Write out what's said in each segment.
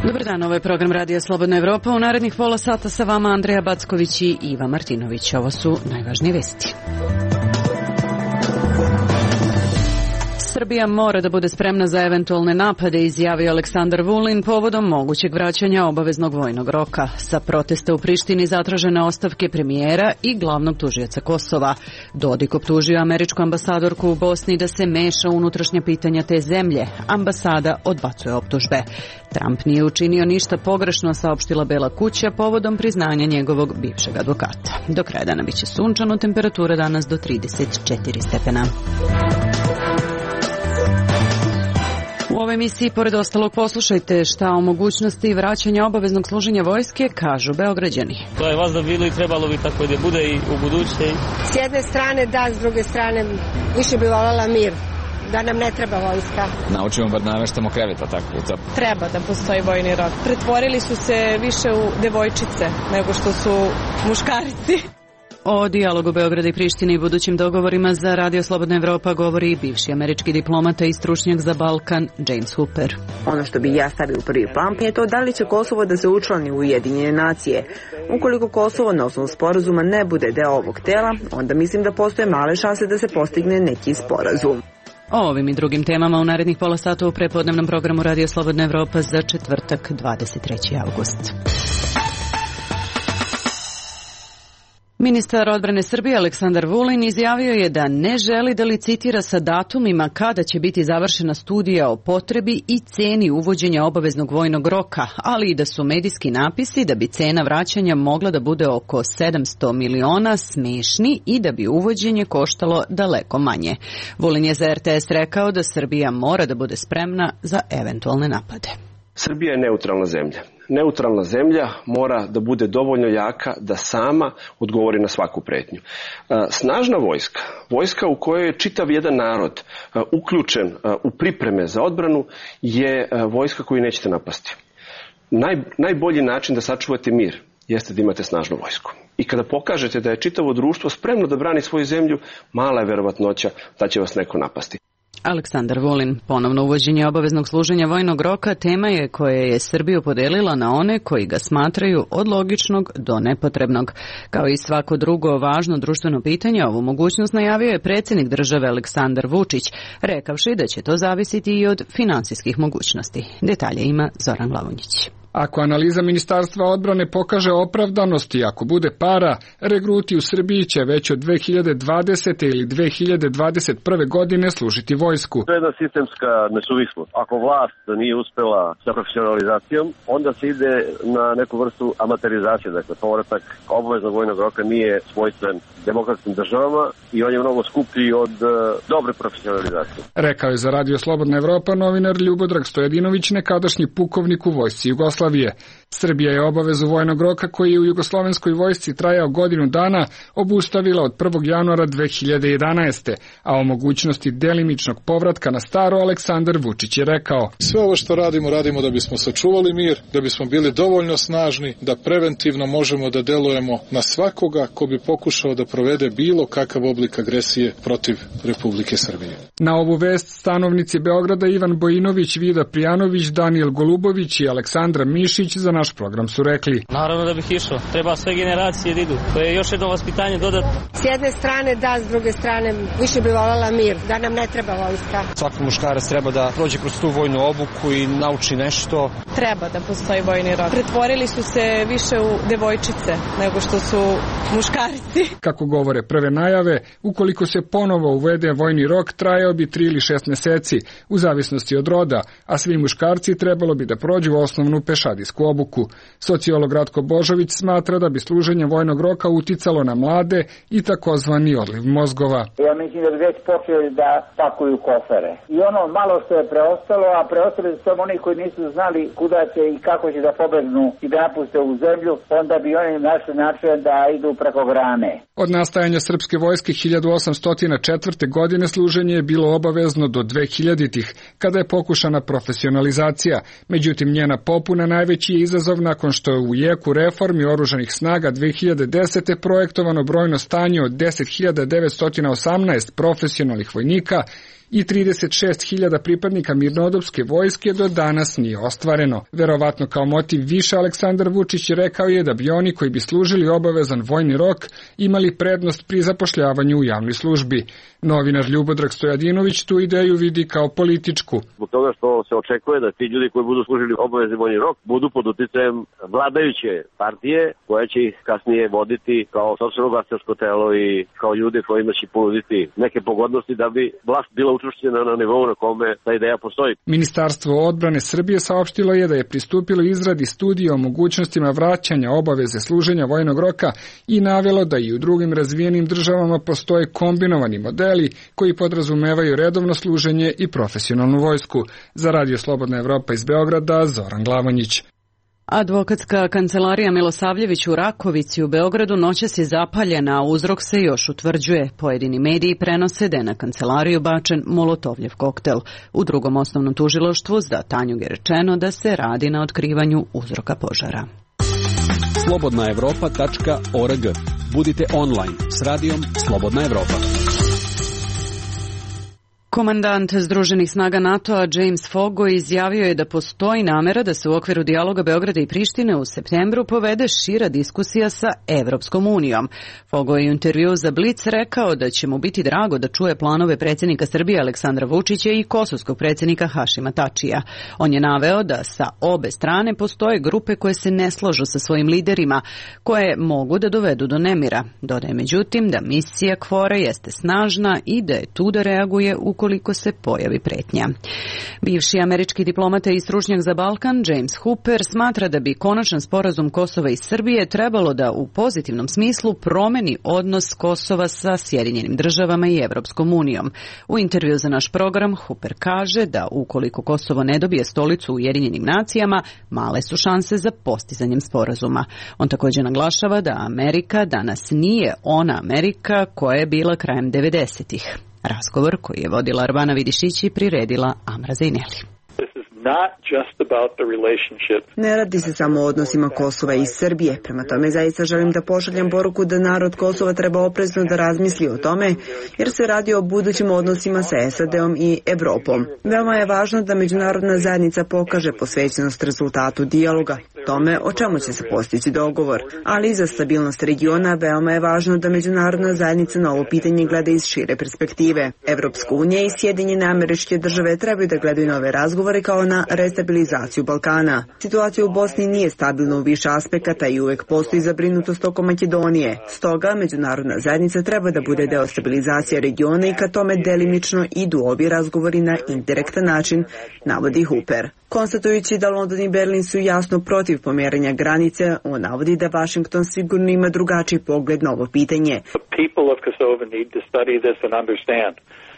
Dobar dan, ovo je program Radija Slobodna Evropa. U narednih pola sata sa vama Andreja Backović i Iva Martinović. Ovo su najvažnije vesti. Srbija mora da bude spremna za eventualne napade, izjavio Aleksandar Vulin povodom mogućeg vraćanja obaveznog vojnog roka. Sa protesta u Prištini zatražene ostavke premijera i glavnog tužioca Kosova. Dodik optužio američku ambasadorku u Bosni da se meša u unutrašnja pitanja te zemlje. Ambasada odbacuje optužbe. Trump nije učinio ništa pogrešno, saopštila Bela kuća povodom priznanja njegovog bivšeg advokata. Do kraja dana biće sunčano, temperatura danas do 34 stepena. U ovoj emisiji, pored ostalog, poslušajte šta o mogućnosti vraćanja obaveznog služenja vojske kažu Beograđani. To je vazda bilo i trebalo bi tako da bude i u buduće. S jedne strane da, s druge strane više bi voljela mir. Da nam ne treba vojska. Naučimo bar nameštamo kreveta tako u to. Treba da postoji vojni rok. Pretvorili su se više u devojčice nego što su muškarci. O dijalogu Beograda i Prištine i budućim dogovorima za Radio Slobodna Evropa govori bivši američki diplomata i stručnjak za Balkan James Hooper. Ono što bi ja stavio u prvi plan je to da li će Kosovo da se učlani u Ujedinjene nacije. Ukoliko Kosovo na osnovu sporazuma ne bude deo ovog tela, onda mislim da postoje male šanse da se postigne neki sporazum. O ovim i drugim temama u narednih pola sata u prepodnevnom programu Radio Slobodna Evropa za četvrtak 23. avgust. Ministar odbrane Srbije Aleksandar Vulin izjavio je da ne želi da licitira sa datumima kada će biti završena studija o potrebi i ceni uvođenja obaveznog vojnog roka, ali i da su medijski napisi da bi cena vraćanja mogla da bude oko 700 miliona smešni i da bi uvođenje koštalo daleko manje. Vulin je za RTS rekao da Srbija mora da bude spremna za eventualne napade. Srbija je neutralna zemlja. Neutralna zemlja mora da bude dovoljno jaka da sama odgovori na svaku pretnju. Snažna vojska, vojska u kojoj je čitav jedan narod uključen u pripreme za odbranu, je vojska koju nećete napasti. Najbolji način da sačuvate mir jeste da imate snažnu vojsku. I kada pokažete da je čitavo društvo spremno da brani svoju zemlju, mala je verovatnoća da će vas neko napasti. Aleksandar Vulin. Ponovno uvođenje obaveznog služenja vojnog roka tema je koja je Srbiju podelila na one koji ga smatraju od logičnog do nepotrebnog. Kao i svako drugo važno društveno pitanje, ovu mogućnost najavio je predsjednik države Aleksandar Vučić, rekavši da će to zavisiti i od finansijskih mogućnosti. Detalje ima Zoran Glavonjić. Ako analiza Ministarstva odbrane pokaže opravdanost i ako bude para, regruti u Srbiji će već od 2020. ili 2021. godine služiti vojsku. To je jedna sistemska nesuvislost. Ako vlast nije uspela sa profesionalizacijom, onda se ide na neku vrstu amaterizacije. Dakle, povratak obaveznog vojnog roka nije svojstven demokratskim državama i on je mnogo skuplji od dobre profesionalizacije. Rekao je za Radio Slobodna Evropa novinar Ljubodrag Stojadinović, nekadašnji pukovnik u vojsci Jugoslavije. Srbija je obavezu vojnog roka koji je u jugoslovenskoj vojsci trajao godinu dana obustavila od 1. januara 2011. A o mogućnosti delimičnog povratka na staro Aleksandar Vučić je rekao: Sve ovo što radimo da bismo sačuvali mir, da bismo bili dovoljno snažni, da preventivno možemo da delujemo na svakoga ko bi pokušao da provede bilo kakav oblik agresije protiv Republike Srbije. Na ovu vest stanovnici Beograda Ivan Bojinović, Vida Prijanović, Danijel Golubović i Aleksandra Mišić za naš program su rekli: Naravno da bih išao. Treba sve generacije da idu. To je još jedno vaspitanje dodatno. S jedne strane da, s druge strane više bi voljela mir. Da nam ne treba vojska. Svaki muškarac treba da prođe kroz tu vojnu obuku i nauči nešto. Treba da postoji vojni rok. Pretvorili su se više u devojčice nego što su muškarci. Kako govore prve najave, ukoliko se ponovo uvede vojni rok, trajao bi 3 ili 6 meseci, u zavisnosti od roda, a svi muškarci trebalo bi da prođu osnovnu pešadijsku obuku. Sociolog Ratko Božović smatra da bi služenje vojnog roka uticalo na mlade i takozvani odliv mozgova. Ja mislim da bi već počeli da pakuju kofere. I ono malo što je preostalo, a preostali su samo oni koji nisu znali kuda će i kako će da pobegnu i da napuste u zemlju, onda bi oni našli način da idu preko grane. Od nastajanja srpske vojske 1804. godine služenje je bilo obavezno do 2000-ih, kada je pokušana profesionalizacija. Međutim, njena popuna najveći je izazov izazov nakon što je u jeku reformi oružanih snaga 2010. projektovano brojno stanje od 10.918 profesionalnih vojnika i 36.000 pripadnika mirnodopske vojske do danas nije ostvareno. Verovatno kao motiv više Aleksandar Vučić rekao je da bi oni koji bi služili obavezan vojni rok imali prednost pri zapošljavanju u javnoj službi. Novinar Ljubodrag Stojadinović tu ideju vidi kao političku. Zbog toga što se očekuje da ti ljudi koji budu služili obavezni vojni rok budu pod uticajem vladajuće partije koja će ih kasnije voditi kao sopstveno glasačko telo i kao ljude kojima će ponuditi neke pogodnosti da bi vlast bila učvršćena na nivou na kome ta ideja postoji. Ministarstvo odbrane Srbije saopštilo je da je pristupilo izradi studije o mogućnostima vraćanja obaveze služenja vojnog roka i navelo da i u drugim razvijenim državama postoje kombinovani modeli koji podrazumevaju redovno služenje i profesionalnu vojsku. Za Radio Slobodna Evropa iz Beograda, Zoran Glavanjić. Advokatska kancelarija Milosavljević u Rakovici u Beogradu noćas je zapaljena, a uzrok se još utvrđuje. Pojedini mediji prenose da je na kancelariju bačen molotovljev koktel. U drugom osnovnom tužilaštvu za Tanjug je rečeno da se radi na otkrivanju uzroka požara. slobodnaevropa.org. Budite online s radijom Slobodna Evropa. Komandant Združenih snaga NATO-a James Fogo izjavio je da postoji namera da se u okviru dijaloga Beograda i Prištine u septembru povede šira diskusija sa Evropskom unijom. Fogo je u intervjuu za Blic rekao da će mu biti drago da čuje planove predsjednika Srbije Aleksandra Vučića i kosovskog predsjednika Hašima Tačija. On je naveo da sa obe strane postoje grupe koje se ne slažu sa svojim liderima, koje mogu da dovedu do nemira. Dodaje međutim da misija KFOR-a jeste snažna i da je tu da reaguje ukoliko se pojavi pretnja. Bivši američki diplomata i stručnjak za Balkan James Hooper smatra da bi konačan sporazum Kosova i Srbije trebalo da u pozitivnom smislu promeni odnos Kosova sa Sjedinjenim državama i Evropskom unijom. U intervju za naš program Hooper kaže da ukoliko Kosovo ne dobije stolicu u Ujedinjenim nacijama, male su šanse za postizanjem sporazuma. On također naglašava da Amerika danas nije ona Amerika koja je bila krajem 90-ih. Razgovor koji je vodila Arbana Vidišić i priredila Amra Zejneli. Ne radi se samo o odnosima Kosova i Srbije. Prema tome zaista želim da pošaljem poruku da narod Kosova treba oprezno da razmisli o tome, jer se radi o budućim odnosima sa SAD-om i Evropom. Veoma je važno da međunarodna zajednica pokaže posvećenost rezultatu dijaloga, tome o čemu će se postići dogovor. Ali i za stabilnost regiona veoma je važno da međunarodna zajednica na ovo pitanje gleda iz šire perspektive. Evropska unija i Sjedinjene Američke Države trebaju da gledaju na ove razgovore kao na restabilizaciju Balkana. Situacija u Bosni nije stabilna u više aspekata i uvek postoji zabrinutost oko Makedonije. Stoga, međunarodna zajednica treba da bude deo stabilizacije regiona i ka tome delimično idu ovi razgovori na indirektan način, navodi Hooper. Konstatujući da London i Berlin su jasno protiv pomeranja granice, on navodi da Washington sigurno ima drugačiji pogled na ovo pitanje.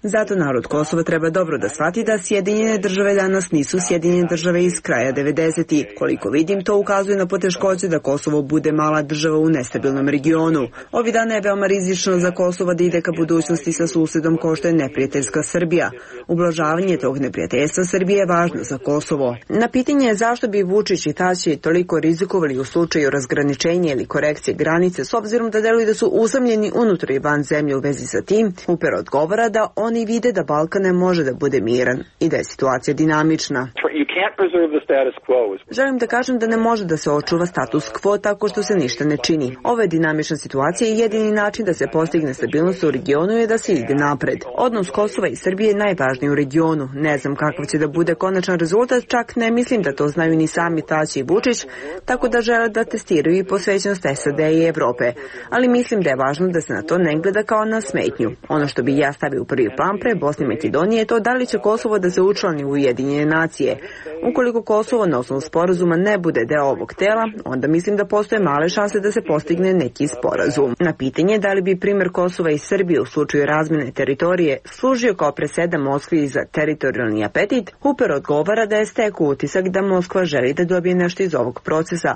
Zato narod Kosova treba dobro da shvati da Sjedinjene države danas nisu Sjedinjene države iz kraja 90-ih. Koliko vidim, to ukazuje na poteškoće da Kosovo bude mala država u nestabilnom regionu. Ovi dana je veoma rizično za Kosovo da ide ka budućnosti sa susedom kao što je neprijateljska Srbija. Ublažavanje tog neprijateljstva Srbije je važno za Kosovo. Na pitanje zašto bi Vučić i Tači toliko rizikovali u slučaju razgraničenja ili korekcije granice s obzirom da deluju da su usamljeni unutar i van zemlje u vezi sa tim, Hooper odgovara da oni vide da Balkan ne može da bude miran i da je situacija dinamična. Želim da kažem da ne može da se očuva status quo tako što se ništa ne čini. Ovo je dinamična situacija i jedini način da se postigne stabilnost u regionu je da se ide napred. Odnos Kosova i Srbije je najvažniji u regionu. Ne znam kakav će da bude konačan rezultat, čak ne mislim da to znaju ni sami Tači i Vučić, tako da žele da testiraju i posvećenost SAD i Evrope. Ali mislim da je važno da se na to ne gleda kao na smetnju. Ono što bi ja stavio u prvi plan pre Bosne i Makedonije je to da li će Kosovo da se učlani u Ujedinjene nacije. Ukoliko Kosovo na osnovu sporazuma ne bude deo ovog tela, onda mislim da postoje male šanse da se postigne neki sporazum. Na pitanje da li bi primjer Kosova i Srbije u slučaju razmjene teritorije služio kao presedan Moskvi za teritorijalni apetit, Hooper odgovara da je stekao utisak da Moskva želi da dobije nešto iz ovog procesa.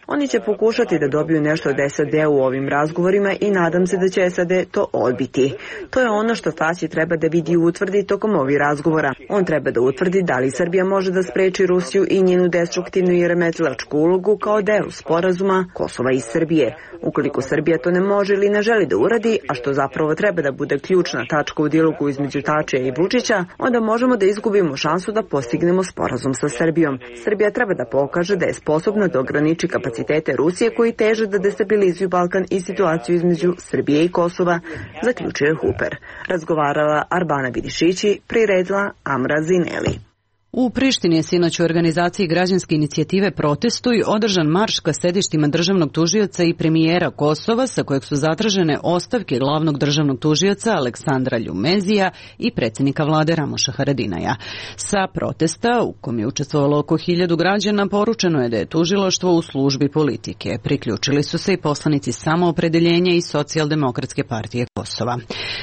Oni će pokušati da dobiju nešto od SAD u ovim razgovorima i nadam se da će SAD to odbiti. To je ono što Fasi treba da vidi i utvrdi tokom ovih razgovora. On treba da utvrdi da li Srbija može da spreči Rusiju i njenu destruktivnu i remetilačku ulogu kao deo sporazuma Kosova i Srbije. Ukoliko Srbija to ne može ili ne želi da uradi, a što zapravo treba da bude ključna tačka u dijalogu između Tačija i Vučića, onda možemo da izgubimo šansu da postignemo sporazum sa Srbijom. Srbija treba da pokaže da je sposobna da ograniči kapacitete Rusije koji teže da destabilizuju Balkan i situaciju između Srbije i Kosova, zaključuje Huper. Razgovarala Arbana Vidišići, priredila Amra Zineli. U Prištini je sinoć u organizaciji građanske inicijative Protestuj održan marš ka sedištima državnog tužioca i premijera Kosova, sa kojeg su zatražene ostavke glavnog državnog tužioca Aleksandra Ljumezija i predsjednika vlade Ramoša Haradinaja. Sa protesta, u kom je učestvovalo oko 1000 građana, poručeno je da je tužilaštvo u službi politike. Priključili su se i poslanici Samoopredeljenja i Socijaldemokratske partije Kosova.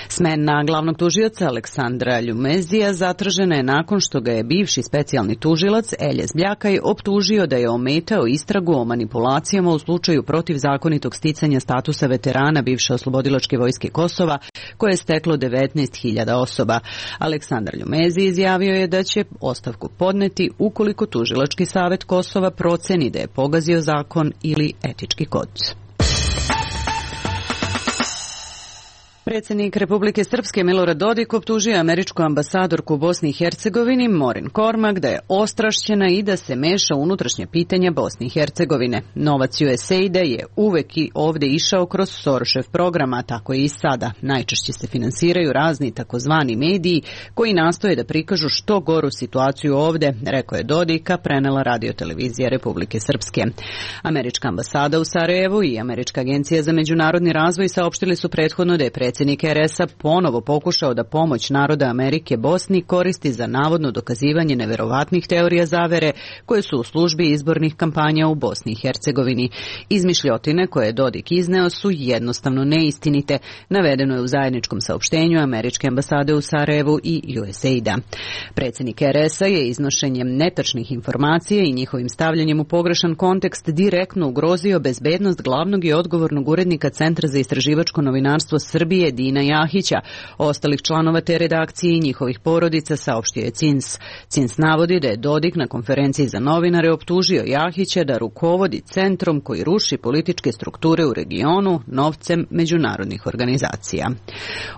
Smena glavnog tužioca Aleksandra Ljumezija zatražena je nakon što ga je bivši specijalni tužilac Eljes Bljakaj optužio da je ometao istragu o manipulacijama u slučaju protivzakonitog sticanja statusa veterana bivše oslobodilačke vojske Kosova, koje je steklo 19.000 osoba. Aleksandar Ljumezi izjavio je da će ostavku podneti ukoliko tužilački savet Kosova proceni da je pogazio zakon ili etički kod. Predsjednik Republike Srpske Milorad Dodik optužio američku ambasadorku u Bosni i Hercegovini Morin Kormak da je ostrašćena i da se meša u unutrašnje pitanja Bosne i Hercegovine. Novac USAID-a je uvek i ovde išao kroz Soroshev program, a tako i sada. Najčešće se finansiraju razni takozvani mediji koji nastoje da prikažu što goru situaciju ovde, rekao je Dodika, prenela radiotelevizija Republike Srpske. Američka ambasada u Sarajevu i Američka agencija za međunarodni razvoj saopštili su prethodno da je predsjednik RS-a ponovo pokušao da pomoć naroda Amerike Bosni koristi za navodno dokazivanje neverovatnih teorija zavere koje su u službi izbornih kampanja u Bosni i Hercegovini. Izmišljotine koje je Dodik izneo su jednostavno neistinite, navedeno je u zajedničkom saopštenju Američke ambasade u Sarajevu i USAID-a. Predsjednik RS-a je iznošenjem netačnih informacija i njihovim stavljanjem u pogrešan kontekst direktno ugrozio bezbednost glavnog i odgovornog urednika Centra za istraživačko novinarstvo Srbije Dina Jahića, ostalih članova te redakcije i njihovih porodica, saopštio je CINS. CINS navodi da je Dodik na konferenciji za novinare optužio Jahića da rukovodi centrom koji ruši političke strukture u regionu novcem međunarodnih organizacija.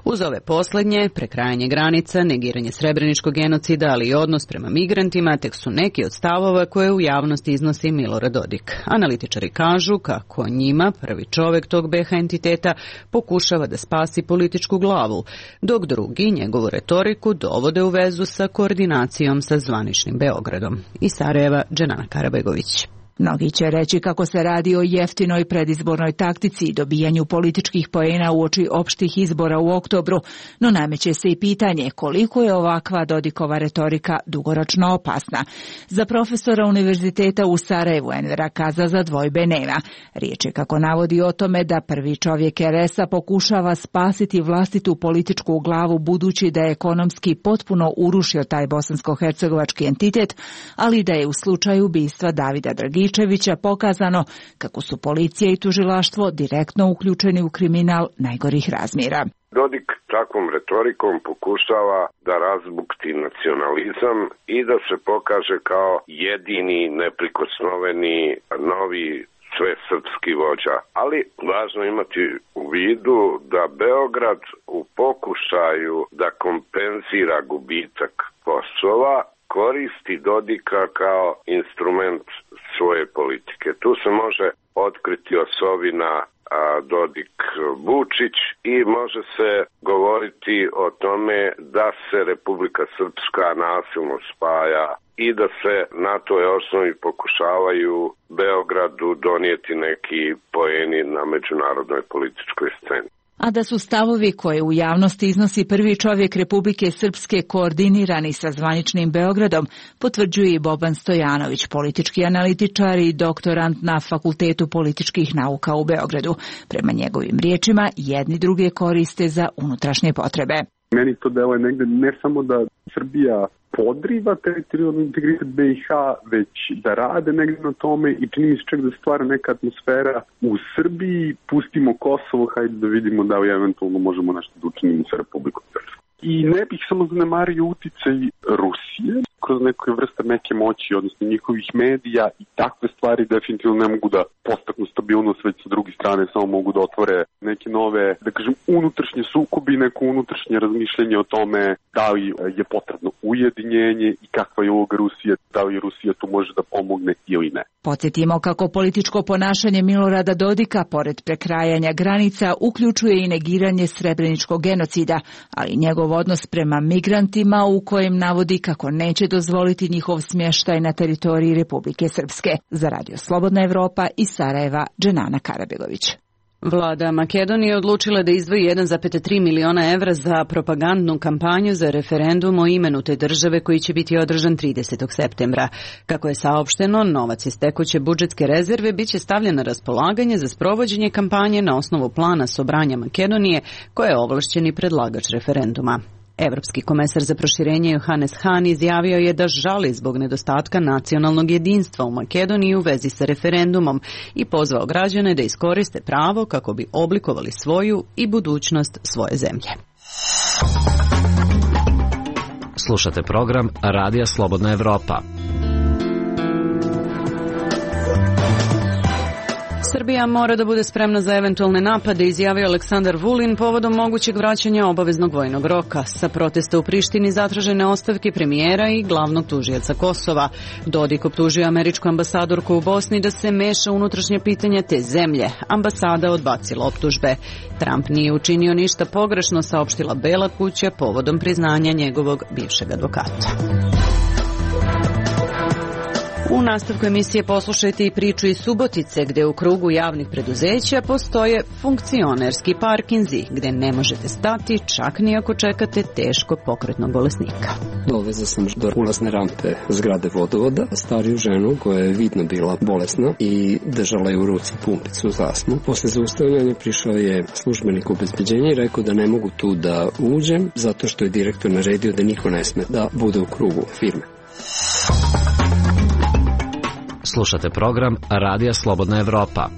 Uz ove poslednje, prekrajanje granica, negiranje srebreničkog genocida, ali i odnos prema migrantima, tek su neki od stavova koje u javnosti iznosi Milorad Dodik. Analitičari kažu kako njima prvi čovek tog BH entiteta pokušava da spasi političku glavu, dok drugi njegovu retoriku dovode u vezu sa koordinacijom sa zvaničnim Beogradom. Iz Sarajeva, Dženana Karabegović. Mnogi će reći kako se radi o jeftinoj predizbornoj taktici i dobijanju političkih poena uoči opštih izbora u oktobru, no nameće se i pitanje koliko je ovakva Dodikova retorika dugoročno opasna. Za profesora Univerziteta u Sarajevu Envera Kazaza dvojbe nema. Riječ je, kako navodi, o tome da prvi čovjek RS-a pokušava spasiti vlastitu političku glavu budući da je ekonomski potpuno urušio taj bosansko-hercegovački entitet, ali da je u slučaju ubistva Davida Dragića pokazano kako su policija i tužilaštvo direktno uključeni u kriminal najgorih razmjera. Dodik takvom retorikom pokušava da razbukti nacionalizam i da se pokaže kao jedini neprikosnoveni novi svesrpski vođa. Ali važno imati u vidu da Beograd u pokušaju da kompenzira gubitak Kosova koristi Dodika kao instrument svoje politike. Tu se može otkriti osovina Dodik-Vučić i može se govoriti o tome da se Republika Srpska nasilno spaja i da se na toj osnovi pokušavaju Beogradu donijeti neki poeni na međunarodnoj političkoj sceni. A da su stavovi koje u javnosti iznosi prvi čovjek Republike Srpske koordinirani sa zvaničnim Beogradom, potvrđuje i Boban Stojanović, politički analitičar i doktorant na Fakultetu političkih nauka u Beogradu. Prema njegovim riječima, jedni druge koriste za unutrašnje potrebe. Meni to deluje negde ne samo da Srbija podriva teritorijalni integritet BiH, već da rade negdje na tome i čini mi se čak da stvara neka atmosfera u Srbiji, pustimo Kosovo, hajde da vidimo da li eventualno možemo nešto da učinimo sa Republikom Srpskom. I ne bih samo zanemario uticaj Rusije kroz neke vrste meke moći, odnosno njihovih medija i takve stvari definitivno ne mogu da postaknu stabilnost, već sa druge strane samo mogu da otvore neke nove, da kažem, unutrašnje sukobi, neko unutrašnje razmišljanje o tome da li je potrebno ujedinjenje i kakva je uloga Rusije, da li Rusija tu može da pomogne ili ne. Podsjetimo kako političko ponašanje Milorada Dodika, pored prekrajanja granica, uključuje i negiranje srebreničkog genocida, ali njegov odnos prema migrantima u kojem navodi kako neće dozvoliti njihov smještaj na teritoriji Republike Srpske. Za Radio Slobodna Evropa iz Sarajeva, Dženana Karabegović. Vlada Makedonije odlučila da izdvoji 1,3 miliona evra za propagandnu kampanju za referendum o imenu te države koji će biti održan 30. septembra. Kako je saopšteno, novac iz tekuće budžetske rezerve biće stavljen na raspolaganje za sprovođenje kampanje na osnovu plana Sobranja Makedonije, koja je ovlašćeni predlagač referenduma. Evropski komesar za proširenje Johannes Hahn izjavio je da žali zbog nedostatka nacionalnog jedinstva u Makedoniji u vezi sa referendumom i pozvao građane da iskoriste pravo kako bi oblikovali svoju i budućnost svoje zemlje. Slušate program Radija Slobodna Evropa. Srbija mora da bude spremna za eventualne napade, izjavio Aleksandar Vulin povodom mogućeg vraćanja obaveznog vojnog roka. Sa protesta u Prištini zatražene ostavke premijera i glavnog tužioca Kosova. Dodik optužio američku ambasadorku u Bosni da se meša unutrašnje pitanja te zemlje. Ambasada odbacila optužbe. Trump nije učinio ništa pogrešno, saopštila Bela kuća povodom priznanja njegovog bivšeg advokata. U nastavku emisije poslušajte i priču iz Subotice, gde u krugu javnih preduzeća postoje funkcionerski parkinzi, gde ne možete stati čak ni ako čekate teško pokretnog bolesnika. Dovezao sam do ulazne rampe zgrade vodovoda stariju ženu koja je vidno bila bolesna i držala je u ruci pumpicu zasnu. Posle zaustavljanja prišao je službenik obezbeđenja i rekao da ne mogu tu da uđem zato što je direktor naredio da niko ne sme da bude u krugu firme. Slušate program Radija Slobodna Evropa.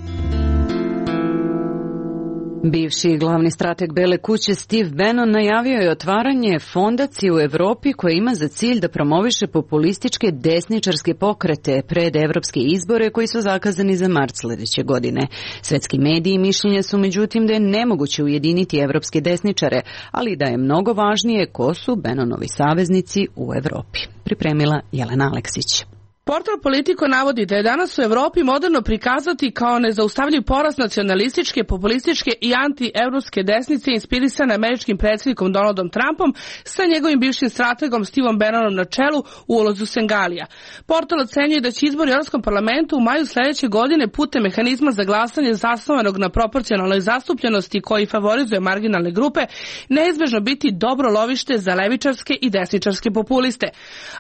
Bivši glavni strateg Bele kuće Steve Bannon najavio je otvaranje fondacije u Evropi koja ima za cilj da promoviše populističke desničarske pokrete pred evropske izbore koji su zakazani za mart sljedeće godine. Svetski mediji mišljenja su međutim da je nemoguće ujediniti evropske desničare, ali da je mnogo važnije ko su Bannonovi saveznici u Evropi. Pripremila Jelena Aleksić. Portal Politico navodi da je danas u Evropi moderno prikazati kao nezaustavljiv porast nacionalističke, populističke i anti-evropske desnice inspirisane američkim predsjednikom Donaldom Trumpom sa njegovim bivšim strategom Steveom Bannonom na čelu u ulozi Sengalija. Portal ocenjuje da će izbori u Europskom parlamentu u maju sljedeće godine putem mehanizma za glasanje zasnovanog na proporcionalnoj zastupljenosti koji favorizuje marginalne grupe neizbežno biti dobro lovište za levičarske i desničarske populiste.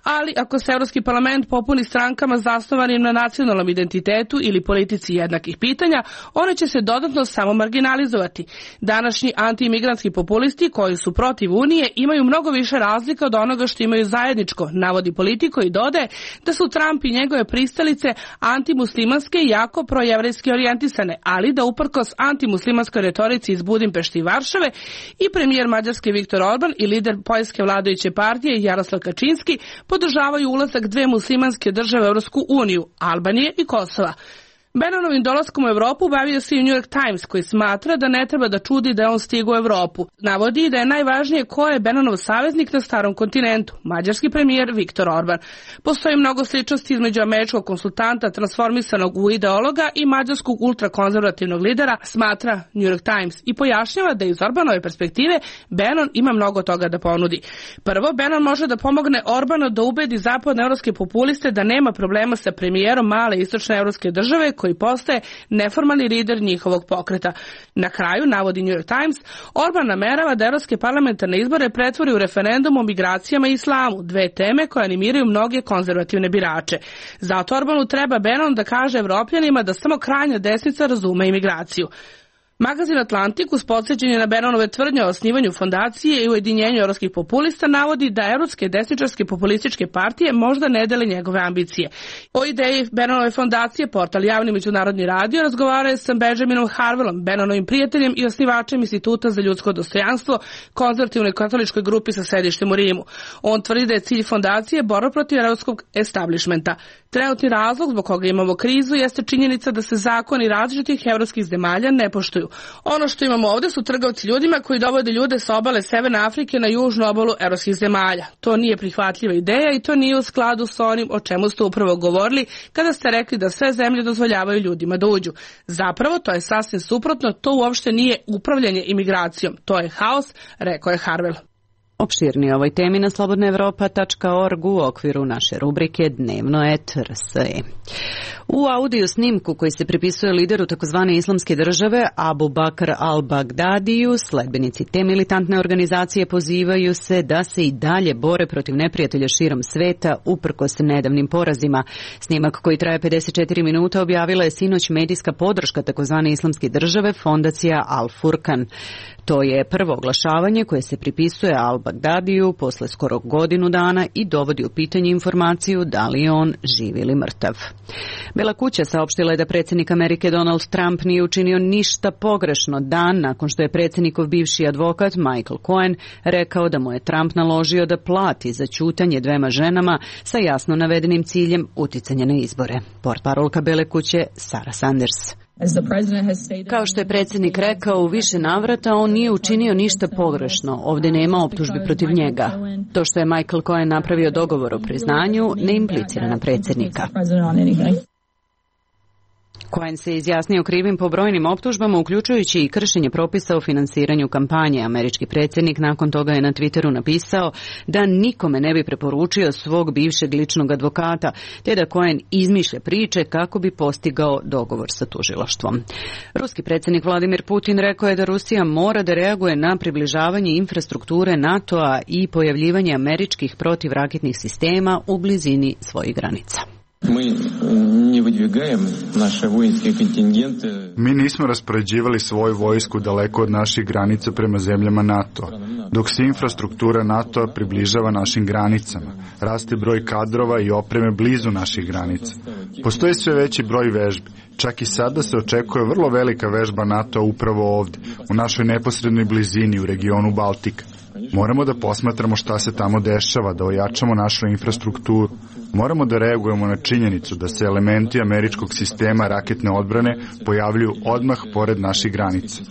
Ali ako se Europski parlament popuni strankama zasnovanim na nacionalnom identitetu ili politici jednakih pitanja, one će se dodatno samo marginalizovati. Današnji anti-imigrantski populisti koji su protiv Unije imaju mnogo više razlika od onoga što imaju zajedničko, navodi Politico i dodaje da su Trump i njegove pristalice antimuslimanske i jako projevrejski orijentisane, ali da uprkos antimuslimanskoj retorici iz Budimpešti i Varšave i premijer Mađarske Viktor Orban i lider poljske vladajuće partije Jaroslav Kačinski podržavaju ulazak dve muslimanske države u Europsku uniju, Albanije i Kosova. Bannonovim dolaskom u Evropu bavio se i New York Times, koji smatra da ne treba da čudi da je on stigao u Evropu. Navodi da je najvažnije ko je Bannonov saveznik na starom kontinentu, mađarski premijer Viktor Orban. Postoji mnogo sličnosti između američkog konsultanta transformisanog u ideologa i mađarskog ultrakonzervativnog lidera, smatra New York Times, i pojašnjava da iz Orbanove perspektive Bannon ima mnogo toga da ponudi. Prvo, Bannon može da pomogne Orbanu da ubedi zapadnoevropske populiste da nema problema sa premijerom male istočne evropske države koji postaje neformalni lider njihovog pokreta. Na kraju, navodi New York Times, Orban namerava da evropske parlamentarne izbore pretvori u referendum o migracijama i islamu, dve teme koje animiraju mnoge konzervativne birače. Zato Orbanu treba Bannon da kaže Evropljanima da samo krajnja desnica razume imigraciju. Magazin Atlantik uz podsjećanje na Bannonove tvrdnje o osnivanju fondacije i ujedinjenju evropskih populista navodi da evropske desničarske populističke partije možda ne dele njegove ambicije. O ideji Bannonove fondacije portal Javni međunarodni radio razgovara je sa Benjaminom Harvelom, Bannonovim prijateljem i osnivačem Instituta za ljudsko dostojanstvo, konzervativnoj katoličkoj grupi sa sedištem u Rimu. On tvrdi da je cilj fondacije borba protiv evropskog establishmenta. Trenutni razlog zbog koga imamo krizu jeste činjenica da se zakoni različitih evropskih zemalja ne poštuju. Ono što imamo ovdje su trgovci ljudima koji dovode ljude sa obale Severne Afrike na južnu obalu evropskih zemalja. To nije prihvatljiva ideja i to nije u skladu sa onim o čemu ste upravo govorili kada ste rekli da sve zemlje dozvoljavaju ljudima da uđu. Zapravo, to je sasvim suprotno, to uopšte nije upravljanje imigracijom, to je haos, rekao je Harvel. Opširnije o ovoj temi na slobodnaevropa.org u okviru naše rubrike Dnevno RSE. U audio snimku koji se pripisuje lideru takozvane islamske države Abu Bakr al-Bagdadiju, sledbenici te militantne organizacije pozivaju se da se i dalje bore protiv neprijatelja širom sveta uprkos nedavnim porazima. Snimak koji traje 54 minuta objavila je sinoć medijska podrška takozvane islamske države fondacija Al-Furkan. To je prvo oglašavanje koje se pripisuje al-Bagdadiju posle skoro godinu dana i dovodi u pitanje informaciju da li je on živ ili mrtav. Bela kuća saopštila je da predsjednik Amerike Donald Trump nije učinio ništa pogrešno dan nakon što je predsjednikov bivši advokat Michael Cohen rekao da mu je Trump naložio da plati za ćutanje dvema ženama sa jasno navedenim ciljem uticanja na izbore. Portparolka Bele kuće Sarah Sanders. Kao što je predsjednik rekao u više navrata, on nije učinio ništa pogrešno. Ovdje nema optužbi protiv njega. To što je Michael Cohen napravio dogovor o priznanju ne implicira na predsjednika. Cohen se izjasnio krivim po brojnim optužbama, uključujući i kršenje propisa o finansiranju kampanje. Američki predsjednik nakon toga je na Twitteru napisao da nikome ne bi preporučio svog bivšeg ličnog advokata, te da Cohen izmišlja priče kako bi postigao dogovor sa tužilaštvom. Ruski predsjednik Vladimir Putin rekao je da Rusija mora da reaguje na približavanje infrastrukture NATO-a i pojavljivanje američkih protivraketnih sistema u blizini svojih granica. Mi nismo raspoređivali svoju vojsku daleko od naših granica prema zemljama NATO, dok se infrastruktura NATO približava našim granicama. Raste broj kadrova i opreme blizu naših granica. Postoji sve veći broj vežbi. Čak i sada se očekuje vrlo velika vežba NATO upravo ovdje, u našoj neposrednoj blizini u regionu Baltika. Moramo da posmatramo šta se tamo dešava, da ojačamo našu infrastrukturu. Moramo da reagujemo na činjenicu da se elementi američkog sistema raketne odbrane pojavljuju odmah pored naših granica.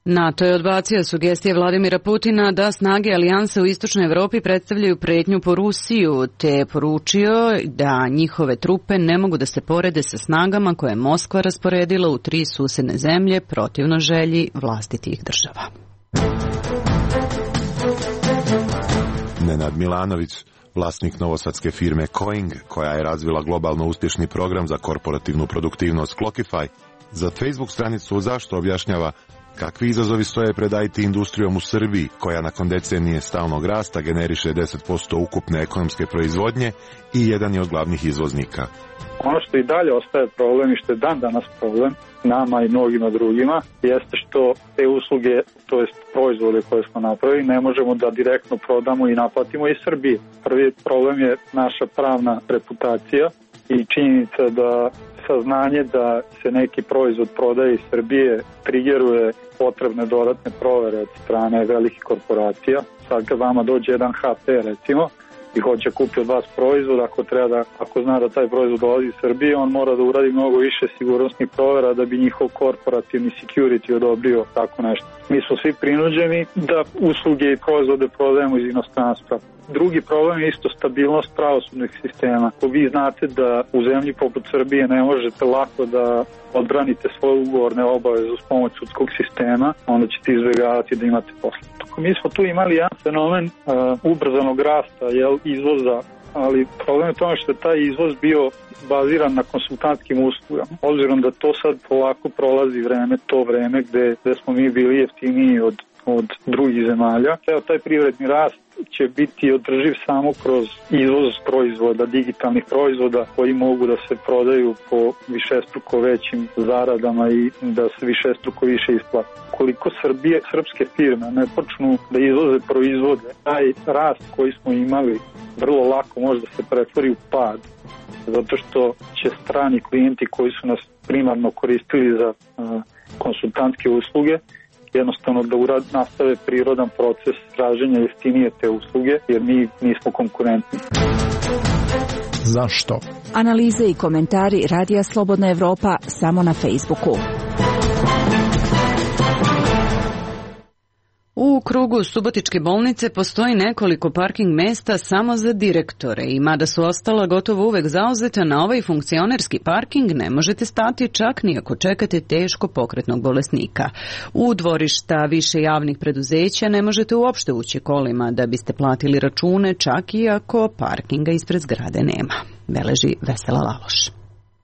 NATO je odbacio sugestije Vladimira Putina da snage alijanse u istočnoj Evropi predstavljaju pretnju po Rusiju, te je poručio da njihove trupe ne mogu da se porede sa snagama koje je Moskva rasporedila u 3 susedne zemlje protivno želji vlastitih država. Nenad Milanović, vlasnik novosadske firme Coing, koja je razvila globalno uspješni program za korporativnu produktivnost Clockify, za Facebook stranicu Zašto objašnjava kakvi izazovi stoje pred IT industrijom u Srbiji, koja nakon decenije stalnog rasta generiše 10% ukupne ekonomske proizvodnje i jedan je od glavnih izvoznika. Ono što i dalje ostaje problem i što je dan danas problem nama i mnogima drugima jeste što te usluge, to jest proizvode koje smo napravili, ne možemo da direktno prodamo i naplatimo iz Srbije. Prvi problem je naša pravna reputacija i činjenica da saznanje da se neki proizvod prodaje iz Srbije trigeruje potrebne dodatne provere od strane velikih korporacija. Sad kad vama dođe jedan HP recimo i hoće kupiti od vas proizvod, ako zna da taj proizvod dolazi iz Srbije, on mora da uradi mnogo više sigurnosnih provera da bi njihov korporativni security odobrio tako nešto. Mi smo svi prinuđeni da usluge i proizvode prodajemo iz inostranstva. Drugi problem je isto stabilnost pravosudnih sistema. Ako vi znate da u zemlji poput Srbije ne možete lako da odbranite svoje ugovorne obaveze uz pomoć sudskog sistema, onda ćete izbjegavati da imate posle. Mi smo tu imali jedan fenomen ubrzanog rasta izvoza, ali problem je tome što je taj izvoz bio baziran na konsultantskim uslugama. Obzirom da to sad polako prolazi to vreme gde smo mi bili jeftiniji od drugih zemalja. Taj privredni rast će biti održiv samo kroz izvoz proizvoda, digitalnih proizvoda koji mogu da se prodaju po višestruko većim zaradama i da se višestruko više isplati. Koliko srpske firme ne počnu da izvoze proizvode, taj rast koji smo imali vrlo lako može da se pretvori u pad, zato što će strani klijenti koji su nas primarno koristili za konsultantske usluge jednostavno da nastave prirodan proces traženja jeftinije te usluge, jer mi nismo konkurentni. Zašto? Analize i komentari Radija Slobodna Evropa samo na Facebooku. U krugu Subotičke bolnice postoji nekoliko parking mesta samo za direktore i mada su ostala gotovo uvek zauzeta, na ovaj funkcionerski parking ne možete stati čak ni ako čekate teško pokretnog bolesnika. U dvorišta više javnih preduzeća ne možete uopšte ući kolima da biste platili račune, čak i ako parkinga ispred zgrade nema. Beleži Vesela Laloš.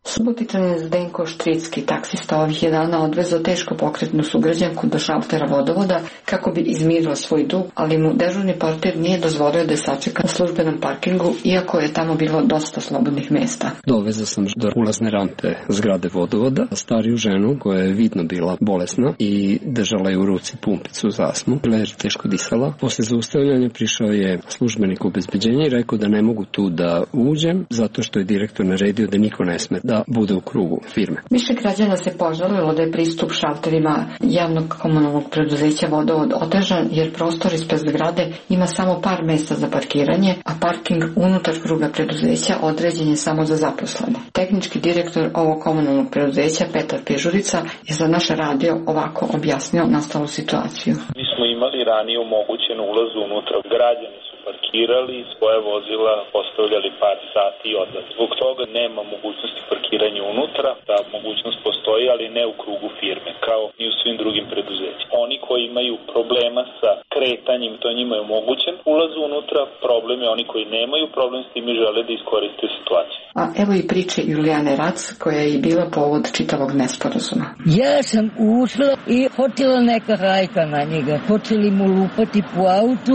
Subotičanin Zdenko Štricki, taksista, ovih je dana odvezao teško pokretnu sugrađanku do šaltera vodovoda kako bi izmirio svoj dug, ali mu dežurni portir nije dozvolio da je sačeka na službenom parkingu, iako je tamo bilo dosta slobodnih mesta. Dovezao sam do ulazne rampe zgrade vodovoda stariju ženu koja je vidno bila bolesna i držala je u ruci pumpicu za astmu. Bila je teško disala. Posle zaustavljanja prišao je službenik obezbeđenja i rekao da ne mogu tu da uđem zato što je direktor naredio da niko ne sme da bude u krugu firme. Više građana se požalilo da je pristup šalterima javnog komunalnog preduzeća Vodovod otežan, jer prostor ispred zgrade ima samo par mesta za parkiranje, a parking unutar kruga preduzeća određen je samo za zaposlene. Tehnički direktor ovog komunalnog preduzeća Petar Pežurica je za naš radio ovako objasnio nastalu situaciju. Mi smo imali ranije omogućen ulaz unutra. Građani su parkirali, svoje vozila postavljali par sati i odlazili. Zbog toga nema mogućnosti parkiranja unutra, ta mogućnost postoji, ali ne u krugu firme, kao i u svim drugim preduzećima. Oni koji imaju problema sa kretanjem, to njima je omogućen ulaz unutra, problem je oni koji nemaju problem s tim i žele da iskoriste situaciju. A evo i priče Julijane Rac, koja je i bila povod čitavog nesporazuma. Ja sam ušla i hotela neka hajka na njega. Počeli mu lupati po autu,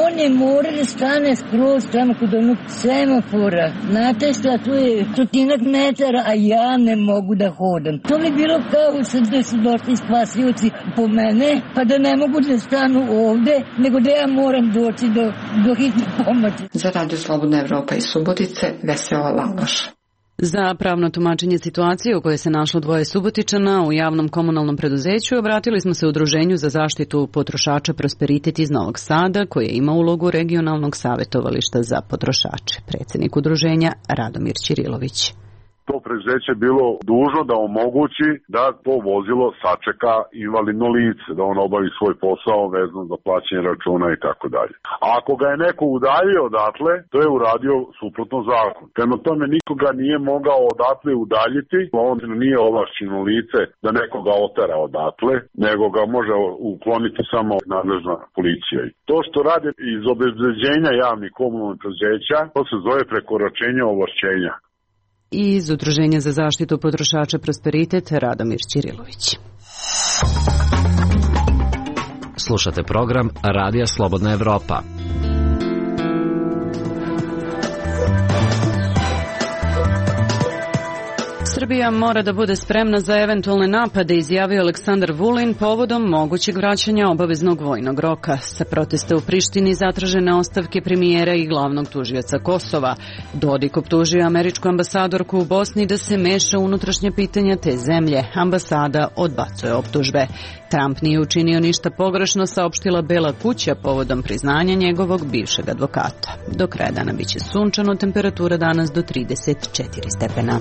on je mora da stane skroz tamo kod onog semafora. Znate šta, tu je 100 metara, a ja ne mogu da hodam. To mi bilo kao sad da su došli spasioci po mene, pa da ne mogu da stanu ovde, nego da ja moram doći do hitne pomoći. Za Radio Slobodna Evropa iz Subotice, Vesela Laloš. Za pravno tumačenje situacije u kojoj se našlo dvoje Subotičana u javnom komunalnom preduzeću obratili smo se Udruženju za zaštitu potrošača Prosperitet iz Novog Sada, koje ima ulogu regionalnog savjetovališta za potrošače. Predsjednik udruženja Radomir Ćirilović. To preduzeće bilo dužno da omogući da to vozilo sačeka invalidno lice, da on obavi svoj posao vezano za plaćanje računa i tako dalje. A ako ga je neko udaljio odatle, to je uradio suprotno zakon. Prema tome nikoga nije mogao odatle udaljiti, on nije ovlašćeno lice da nekoga otera odatle, nego ga može ukloniti samo nadležna policija. To što rade iz obezbeđenja javnih komunalnih preduzeća, to se zove prekoračenje ovlašćenja. I iz Udruženja za zaštitu potrošača Prosperitet Radomir Ćirilović. Slušate program Radija Slobodna Evropa. Srbija mora da bude spremna za eventualne napade, izjavio Aleksandar Vulin povodom mogućeg vraćanja obaveznog vojnog roka. Sa protesta u Prištini zatražene ostavke premijera i glavnog tužioca Kosova. Dodik optužio američku ambasadorku u Bosni da se meša u unutrašnje pitanja te zemlje. Ambasada odbacuje optužbe. Trump nije učinio ništa pogrešno, saopštila Bela kuća povodom priznanja njegovog bivšeg advokata. Do kraja dana biće sunčano, temperatura danas do 34 stepena.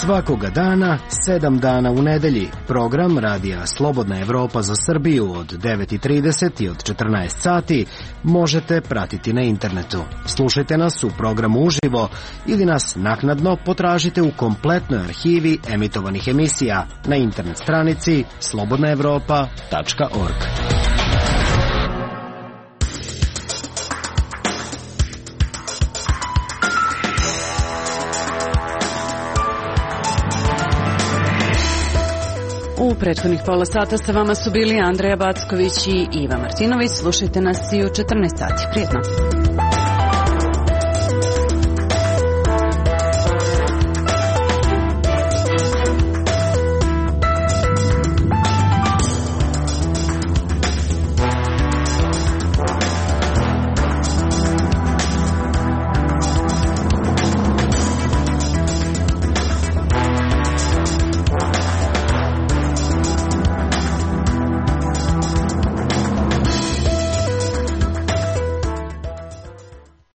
Svakoga dana, 7 dana u nedelji. Program Radija Slobodna Evropa za Srbiju od 9:30 i od 14 sati možete pratiti na internetu. Slušajte nas u programu uživo ili nas naknadno potražite u kompletnoj arhivi emitovanih emisija na internet stranici slobodnaevropa.org. U prethodnih pola sata sa vama su bili Andreja Backović i Iva Martinović. Slušajte nas i u 14 sati. Prijetno.